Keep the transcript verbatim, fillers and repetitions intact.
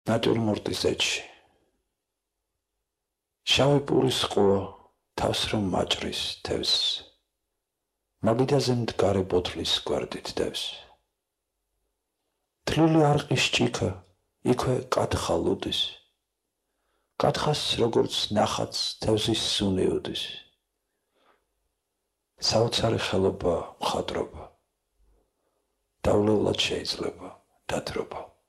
ნატურმორტის ეჭში. შავი პურის ყუა თავს რომ მაჭრის თევს, მაგიდაზე მდგარე ბოთლის გვერდით დევს. თლილი არყის ჭიქა იქვე კათხა ლუდის, კათხას როგორც ნახატს თევზის სუნი უდის. საოცარი ხელობა მხატვრობა, დავლევლად შეიძლება დათრობა.